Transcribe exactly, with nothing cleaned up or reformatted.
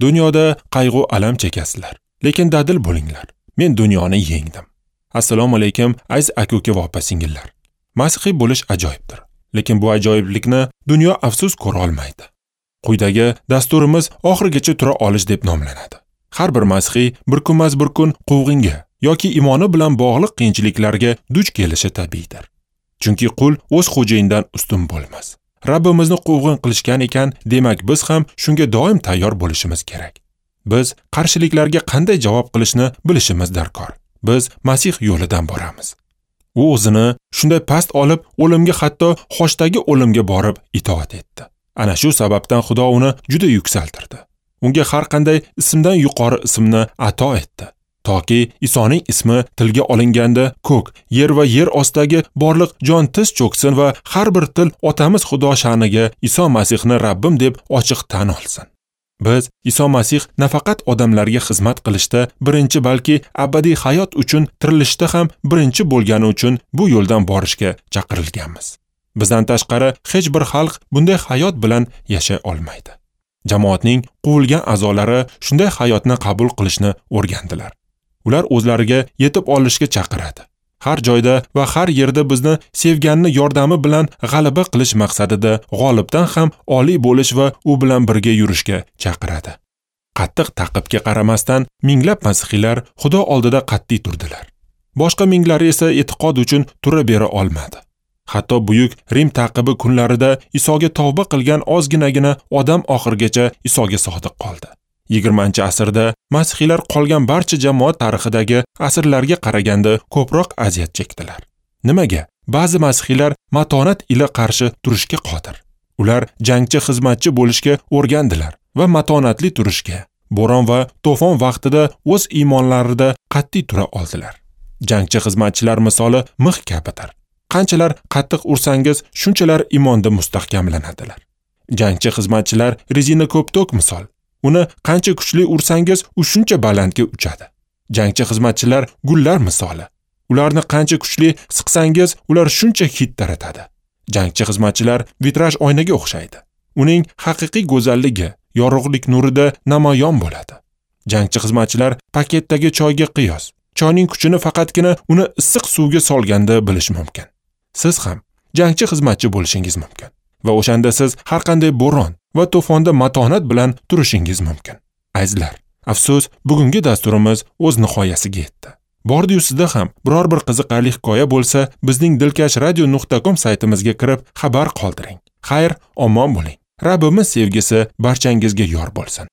Dunyoda qayg'u alam chekasizlar, lekin dadil bo'linglar. Men dunyoni yengdim. Assalomu alaykum aziz aka-uka va opa-singillar. Masihiy bo'lish ajoyibdir, lekin bu ajoyiblikni dunyo afsus ko'ra olmaydi. Quyidagi dasturimiz oxirigacha tura olish deb nomlanadi. Har bir masihiy bir kunmas bir kun quvg'inga yoki imoni bilan bog'liq qiyinchiliklarga duch kelishi tabiiydir. Chunki qul o'z xo'jayinidan ustun bo'lmas. Rabbimizni quvg'in qilishgan ekan, demak biz ham shunga doim tayyor bo'lishimiz kerak. Biz qarshiliklarga qanday javob qilishni bilishimiz darkor. Biz Masih yo'lidan boramiz. U o'zini shunday past olib, o'limga, hatto xochdagi o'limga borib itoat etdi. Ana shu sababdan Xudo uni juda yuksaltirdi. Unga har qanday ismdan yuqori ismni ato etdi. Toki Isoning ismi tilga olinganda ko'k, yer va yer ostidagi borliq jon tiz cho'ksin va har bir til Otamiz Xudo sha'niga Iso Masihni Rabbim deb ochiq tan olsin. Biz Iso Masih nafaqat odamlarga xizmat qilishda birinchi, balki abadiy hayot uchun tirilishda ham birinchi bo'lgani uchun bu yo'ldan borishga chaqirilganmiz. Bizdan tashqari hech bir xalq bunday hayot bilan yashay olmaydi. Jamoatning quvilgan a'zolari shunday hayotni qabul qilishni o'rgandilar. Ular o'zlariga yetib olishga chaqiradi. Har joyda va har yerda bizni sevganni yordami bilan g'alaba qilish maqsadida g'olibdan ham oliy bo'lish va u bilan birga yurishga chaqiradi. Qattiq ta'qibga qaramasdan minglab masihiylar Xudo oldida qat'iy turdilar. Boshqa minglari esa e'tiqod uchun tura bera olmadi. Hatto buyuk Rim ta'qibi kunlarida Isoga tavba qilgan ozginagina odam oxirigacha Isoga sodiq qoldi. yigirmanchi asrda masihiylar qolgan barcha jamoat tarixidagi asrlarga qaraganda ko'proq aziyat chekdilar. Nimaga? Ba'zi masihiylar matonat ila qarshi turishga qodir. Ular jangchi xizmatchi bo'lishga o'rgandilar va matonatli turishga, bo'ron va to'fon vaqtida o'z iymonlarida qat'iy tura oldilar. Jangchi xizmatchilar misoli mix kabidir. Qanchalar qattiq ursangiz, shunchalar iymonda mustahkamlanadilar. Jangchi xizmatchilar rezina ko'ptok misol. Uni qancha kuchli ursangiz, u shuncha balandga uchadi. Jangchi xizmatchilar gullar misoli. Ularni qancha kuchli siqsangiz, ular shuncha hid taratadi. Jangchi xizmatchilar vitraj oynaga o'xshaydi. Uning haqiqiy go'zalligi yorug'lik nurida namoyon bo'ladi. Jangchi xizmatchilar paketdagi choyga qiyos. Choyning kuchini faqatgina uni issiq suvga solganda bilish mumkin. Siz ham jangchi xizmatchi bo'lishingiz mumkin va o'shanda siz har qanday bo'ron va to'fonda matonat bilan turishingiz mumkin. Azizlar, afsus, bugungi dasturimiz o'z nihoyasiga yetdi. Bordi-yu sizda ham biror bir qiziqarli hikoya bo'lsa, bizning dilkash radio nuqta com saytimizga kirib xabar qoldiring. Xayr, omon bo'ling. Rabbimiz sevgisi barchangizga yor bo'lsin.